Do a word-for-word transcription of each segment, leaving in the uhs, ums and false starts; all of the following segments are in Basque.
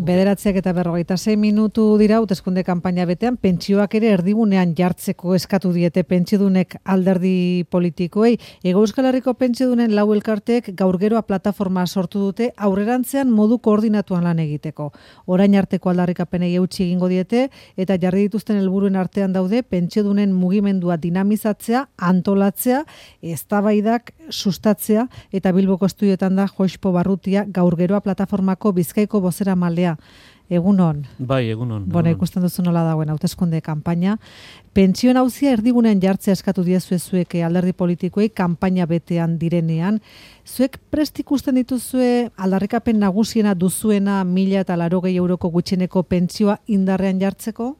Bederatziak eta berrogeita sei minutu dira hauteskunde kanpaina betean, pentsioak ere erdigunean jartzeko eskatu diete pentsiodunek alderdi politikoei. Hego Euskal Herriko pentsiodunen lau elkarteek gaur geroa plataforma sortu dute aurrerantzean modu koordinatuan lan egiteko. Orain arteko aldarrikapenei eutsi egingo diete eta jarri dituzten helburuen artean daude pentsiodunen mugimendua dinamizatzea, antolatzea, eztabaidak sustatzea eta Bilboko estudioetan da Joxpo Barrutia gaur geroa plataformako Bizkaiko bozera maldea. Egunon. Bai, egunon. Bona, ikusten duzu nola dagoen hauteskunde kanpaina. Pentsioen auzia erdigunean jartzea eskatu diezue zuek alderdi politikoei kanpaina betean direnean. Zuek prest ikusten dituzue aldarrikapen nagusiena duzuena mila eta laurogei euroko gutxieneko pentsioa indarrean jartzeko?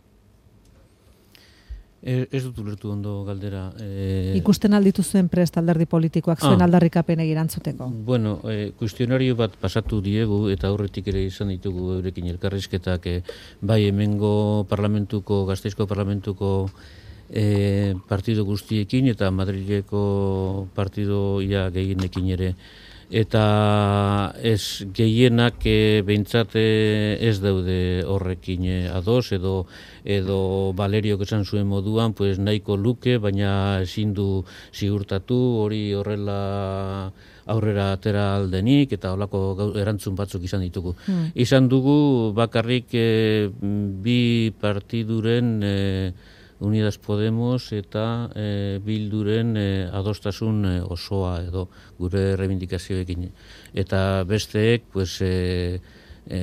Ez dut ulertu ondo galdera. E... Ikusten alditu zuen prest alderdi politikoak zuen ah. aldarrikapenei erantzuteko. Bueno, e, kuestionario bat pasatu diegu eta aurretik ere izan ditugu eurekin elkarrizketak e, bai hemengo parlamentuko, Gasteizko parlamentuko e, partido guztiekin eta Madrileko partido ia gehienekin ere. Eta ez gehienak e, behintzat ez daude horrekin e, ados edo edo Valeriok esan zuen moduan pues nahiko luke, baina ezin du ziurtatu hori horrela aurrera atera aldenik eta holako erantzun batzuk izan ditugu. Hmm. Izan dugu bakarrik e, bi partiduren e, Unidas Podemos eta e, Bilduren e, adostasun e, osoa edo gure reivindikazioekin. Eta besteek, pues, e, e,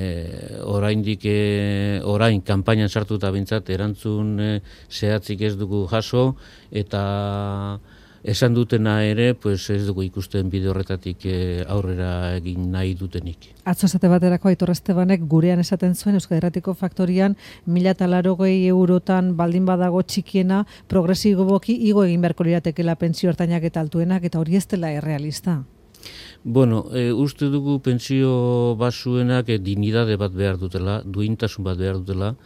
oraindik e, orain kanpainan sartuta bintzat erantzun e, zehatzik ez dugu jaso eta esan dutena ere, pues ez dugu ikusten bide horretatik e, aurrera egin nahi dutenik. Atzo esate baterako Aitor Estebanek gurean esaten zuen Euskal Herratiko faktorian mila eta laurogei eurotan baldin badago txikiena progresiboki igo egin beharko liratekeela pentsio ertainak eta altuenak eta hori ez dela errealista. Bueno, e, uste dugu pentsio basuenak e, dignidade bat behar dutela, duintasun bat behar dutela,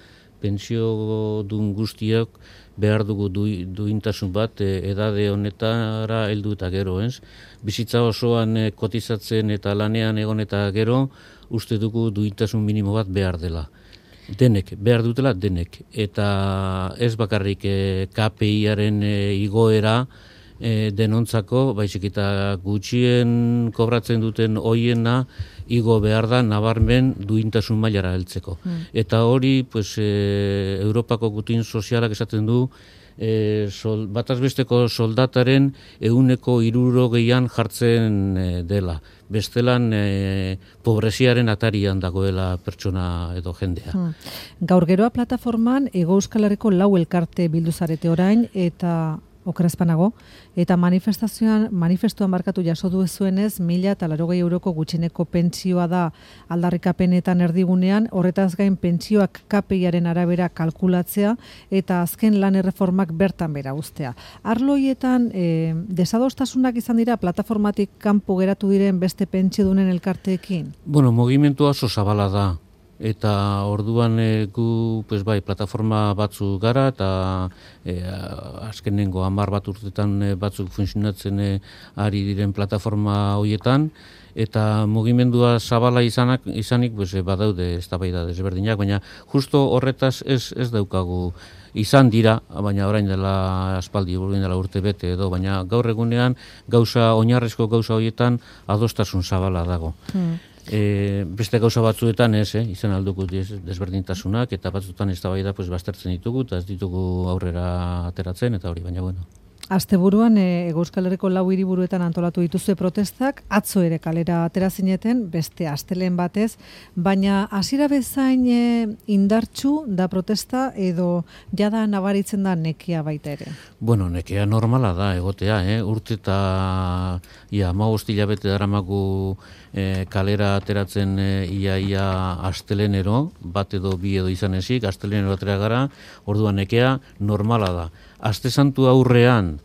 pentsio dun guztiak behar dugu du, duintasun bat e, edade honetara heldu eta gero, ez? Bizitza osoan e, kotizatzen eta lanean egon eta gero, uste dugu duintasun minimo bat behar dela. Denek, behar dutela denek. Eta ez bakarrik e, K P I-aren e, igoera e, denontzako, baizik eta gutxien kobratzen duten hoiena igo behar da nabarmen duintasun mailara heltzeko. Mm. Eta hori, pues, e, Europako gutin sozialak esaten du, e, sol, batazbesteko soldataren ehuneko hirurogeian jartzen e, dela. Bestelan e, pobreziaren atarian dagoela pertsona edo jendea. Hmm. Gaur geroa plataforman Hego Euskal Herriko lau elkarte bildu zarete orain eta okerazpanago, eta manifestazioan, manifestuan barkatu jaso duzuenez, mila eta laurogei euroko gutxieneko pentsioa da aldarrikapenetan erdigunean, horretaz gain pentsioak K P I-aren arabera kalkulatzea, eta azken lan erreformak bertan bera uztea. Arloietan, e, desadostasunak izan dira plataformatik kanpo geratu diren beste pentsiodunen elkarteekin? Bueno, mugimendu oso zabala da. Eta orduan e, gu pues bai, plataforma batzu gara eta e, azkenengo hamar bat urtetan e, batzuk funtzionatzen e, ari diren plataforma hoietan eta mugimendua zabala izanak, izanik pues, e, badaude eztabaida desberdinak, baina justo horretaz ez, ez daukagu izan dira, baina orain dela aspaldi, orain dela urte bete edo, baina gaur egunean gauza, oinarrizko gauza hoietan adostasun zabala dago. Hmm. E, beste gauza batzuetan ez, eh, izan alduko desberdintasunak eta batzuetan eztabaida pues baztertzen ditugu eta ez ditugu aurrera ateratzen eta hori, baina bueno. Asteburuan e, Hego Euskal Herriko lau hiriburuetan antolatu dituzue protestak, atzo ere kalera atera zineten, beste astelen batez, baina hasiera bezain e, indartsu da protesta edo jada nabaritzen da nekea baita ere? Bueno, nekea normala da egotea, eh? Urte eta ia hamabost hilabete daramagu e, kalera ateratzen e, ia ia astelenero, bat edo bi edo izan ezik, astelenero atera gara, orduan nekea normala da. Aste santu aurrean,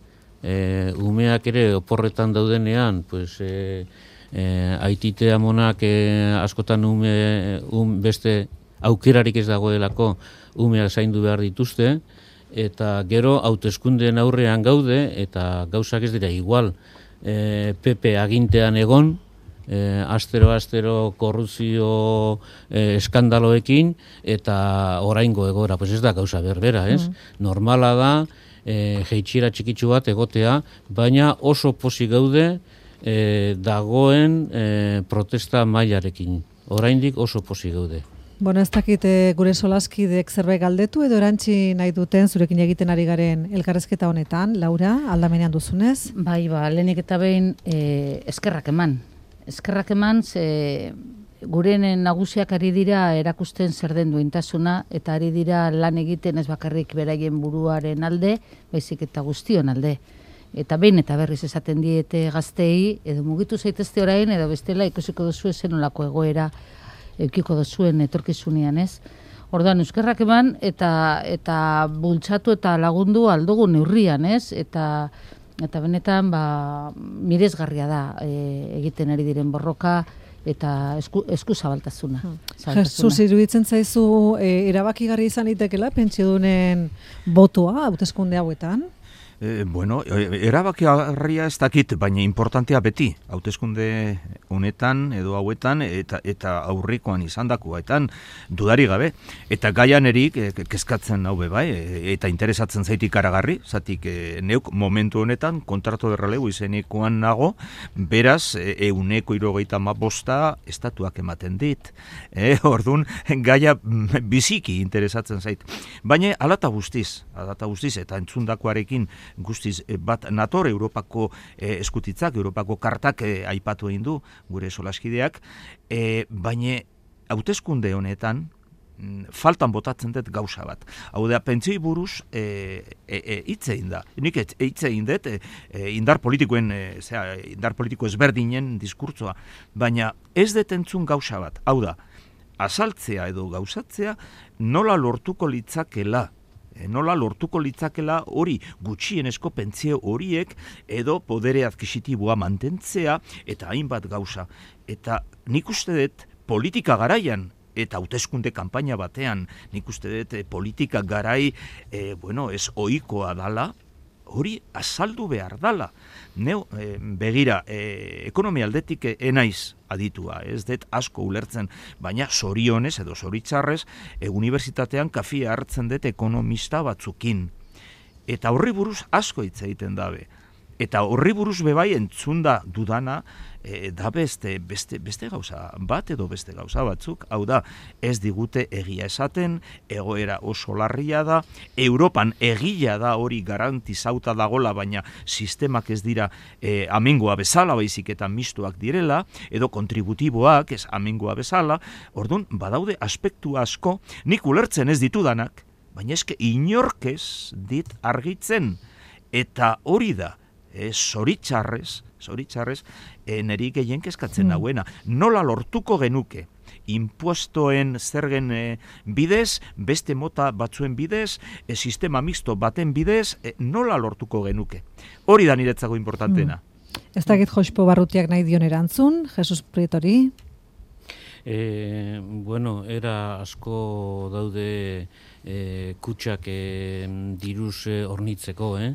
e, umeak ere oporretan daudenean, pues, e, e, aitite amonak e, askotan ume, um, beste aukerarik ez dagoelako umeak zaindu behar dituzte, eta gero hauteskundeen aurrean gaude, eta gauzak ez dira igual. E, P P agintean egon, E, astero-astero korrupzio e, eskandaloekin, eta oraingo egoera, pues ez da gauza berbera, ez? Mm. Normala da, e, jeitxiera txikitsu bat egotea, baina oso pozik gaude e, dagoen e, protesta mailarekin. Oraindik oso pozik gaude. Bueno, ez dakit gure solaskidek zerbait galdetu edo erantzi nahi duten zurekin egiten ari garen elkarrezketa honetan, Laura, aldamenean duzunez? Bai, ba, lehenik eta behin e, eskerrak eman. Eskerrak eman, ze guren nagusiak ari dira erakusten zer den duintasuna, eta ari dira lan egiten ez bakarrik beraien buruaren alde, baizik eta guztion alde. Eta behin eta berriz esaten diete gaztei, edo mugitu zaitezte orain, edo bestela ikusiko duzu zen olako egoera eukiko duzuen etorkizunean, ez? Orduan, euskerrak eman eta eta bultzatu eta lagundu aldugu neurrian, ez? Eta eta benetan ba miresgarria da e, egiten ari diren borroka eta esku, esku zabaltasuna. Hmm. Jesus, iruditzen zaizu e, erabakigarri izan litekela pentsiodunen botoa hauteskunde hauetan? E, bueno, erabakigarria ez dakit, baina importantea beti, hauteskunde honetan edo hauetan eta eta aurrikoan izandakoetan dudari gabe. Eta gaian erik e, kezkatzen hau bai, e, eta interesatzen zaitik aragarri, zatik e, neuk momentu honetan kontratu de relevo izenekoan nago, beraz e, euneko hirurogeita hamabosta estatuak ematen dit. E, ordun gaia biziki interesatzen zait. Baina alata guztiz, alata guztiz eta entzundakoarekin guztiz bat nator Europako eh, eskutitzak, Europako kartak eh, aipatu egin du gure solaskideak, eh, baina hauteskunde honetan mm, faltan botatzen dut gauza bat. Hau da, pentsioi buruz eh, eh, hitz egin da. Nik hitz egin dut eh, indar politikoen, eh, zera, indar politiko ezberdinen diskurtsoa, baina ez dut entzun gauza bat. Hau da, azaltzea edo gauzatzea nola lortuko litzakela nola lortuko litzakela hori gutxienezko pentsio horiek edo podere adkisitiboa mantentzea eta hainbat gauza. Eta nik uste dut politika garaian eta hauteskunde kanpaina batean nik uste dut politika garai e, bueno, ez ohikoa dala, hori azaldu behar dala. Neu, e, begira, e, ekonomia aldetik enaiz aditua, ez dut asko ulertzen, baina zorionez edo zoritzarrez, e, unibertsitatean kafia hartzen dut ekonomista batzukin. Eta horri buruz asko hitz egiten dabe. Eta horri buruz bebai entzunda dudana, e, da beste, beste, beste gauza bat edo beste gauza batzuk, hau da, ez digute egia esaten, egoera oso larria da, Europan egia da hori garantizauta dagola, baina sistemak ez dira e, amengoa bezala, baizik eta mistuak direla, edo kontributiboak ez amengoa bezala, orduan, badaude aspektu asko, nik ulertzen ez ditudanak, baina eske inorkez dit argitzen, eta hori da, E, zoritxarrez, zoritxarrez, e, neri gehien kezkatzen mm. nauena. Nola lortuko genuke? Impuestoen zergen e, bidez, beste mota batzuen bidez, e, sistema mixto baten bidez, e, nola lortuko genuke? Hori da niretzako importantena. Mm. Ez dakit Jospo Barrutiak nahi dion erantzun, Jesus Prietori? E, bueno, era asko daude e, kutsak e, diruz e, hornitzeko, eh?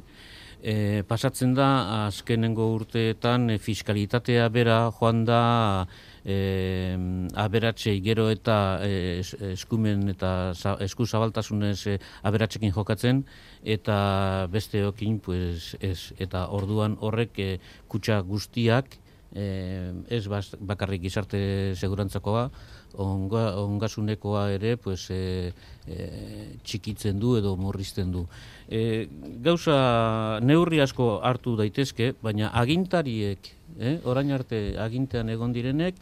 E, pasatzen da, azkenengo urteetan e, fiskalitatea bera joan da e, aberatsei gero eta e, eskumen eta za, esku zabaltasunez e, aberatsekin jokatzen, eta besteokin pues, ez. Eta orduan horrek e, kutxa guztiak, e, ez bakarrik gizarte segurantzakoa, onga, ongasunekoa ere pues, e, e, txikitzen du edo murrizten du. E, gauza neurri asko hartu daitezke, baina agintariek, eh, orain arte agintean egon direnek,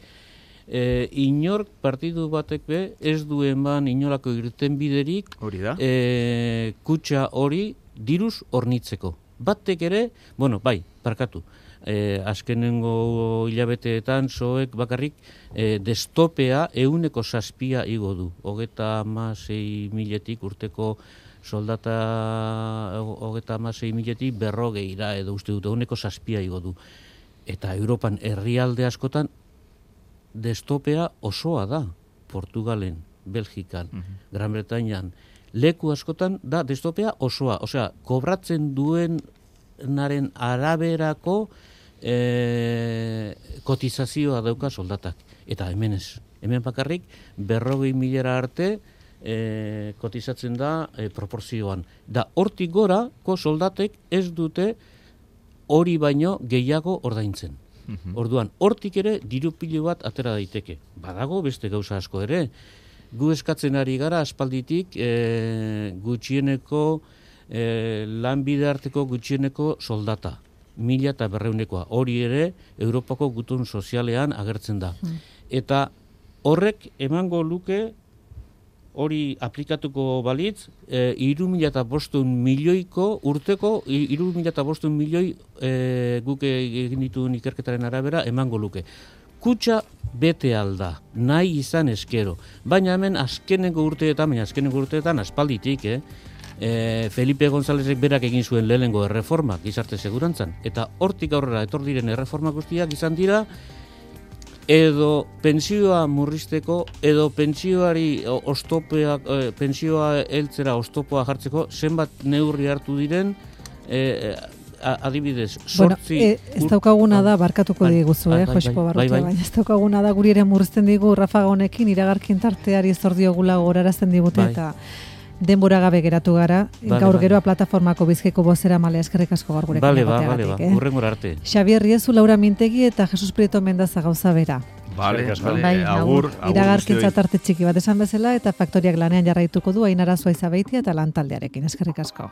e, inork partidu batek be ez duen ban inolako irten biderik e, kutxa hori diruz hornitzeko. Batek ere, bueno, bai, parkatu. E, azkenengo hilabeteetan zoek bakarrik e, destopea euneko zazpia igo du. Hogeta hamasei miletik urteko soldata hogeta hamasei miletik berrogeira edo uste dut euneko zazpia igo du. Eta Europan herrialde askotan destopea osoa da. Portugalen, Belgikan, uh-huh. Gran Bretañan, leku askotan da destopea osoa. Osea, kobratzen duen naren araberako e, kotizazioa dauka soldatak. Eta hemen ez. Hemen bakarrik berrogei milara arte e, kotizatzen da e, proporzioan. Da hortik gorako soldatek ez dute hori baino gehiago ordaintzen. Orduan, hortik ere diru pilo bat atera daiteke. Badago beste gauza asko ere. Gu eskatzen ari gara aspalditik e, gutxieneko e, lanbide arteko gutxieneko soldata. Mila eta berreunekoa. Hori ere Europako gutun sozialean agertzen da. Mm. Eta horrek emango luke hori aplikatuko balitz, e, iru mila eta bostun milioiko urteko, iru mila eta bostun milioi e, guk egin dituen ikerketaren arabera emango luke. Kutxa bete alda, nahi izan eskero. Baina hemen azkenengo urteetan, baina azkenengo urteetan aspalditik, eh? E, Felipe Gonzálezek berak egin zuen lehenengo erreformak gizarte segurantzan. Eta hortik aurrera etor diren erreforma guztiak izan dira, edo pentsioa murrizteko, edo pentsioari oztopea, e, pentsioa heltzera oztopoa jartzeko, zenbat neurri hartu diren, e, adibidez, sortzi... Bueno, e, ez daukaguna da, barkatuko diguzu, eh, Jospo Barrutia, baina ez daukaguna da, guri ere murrizten digu Rafaga honekin, iragarkin tarteari zordiogula gorarazten digute, bai. Eta denbora gabe geratu gara, vale, gaur geroa vale. Plataformako Bizkaiko bozera malea eskerrik asko gaur gurekin vale, ba, vale, ba. eh? Urrengora arte. Xabier Riezu, Laura Mintegi eta Jesus Prieto Mendaza gauza bera. Vale, vale, bai, agur, agur. Iragarkintza tarte txiki bat esan bezala eta faktoriak lanean jarraituko du Ainara Zuaiza Beitia eta lan taldearekin. Eskerrik asko.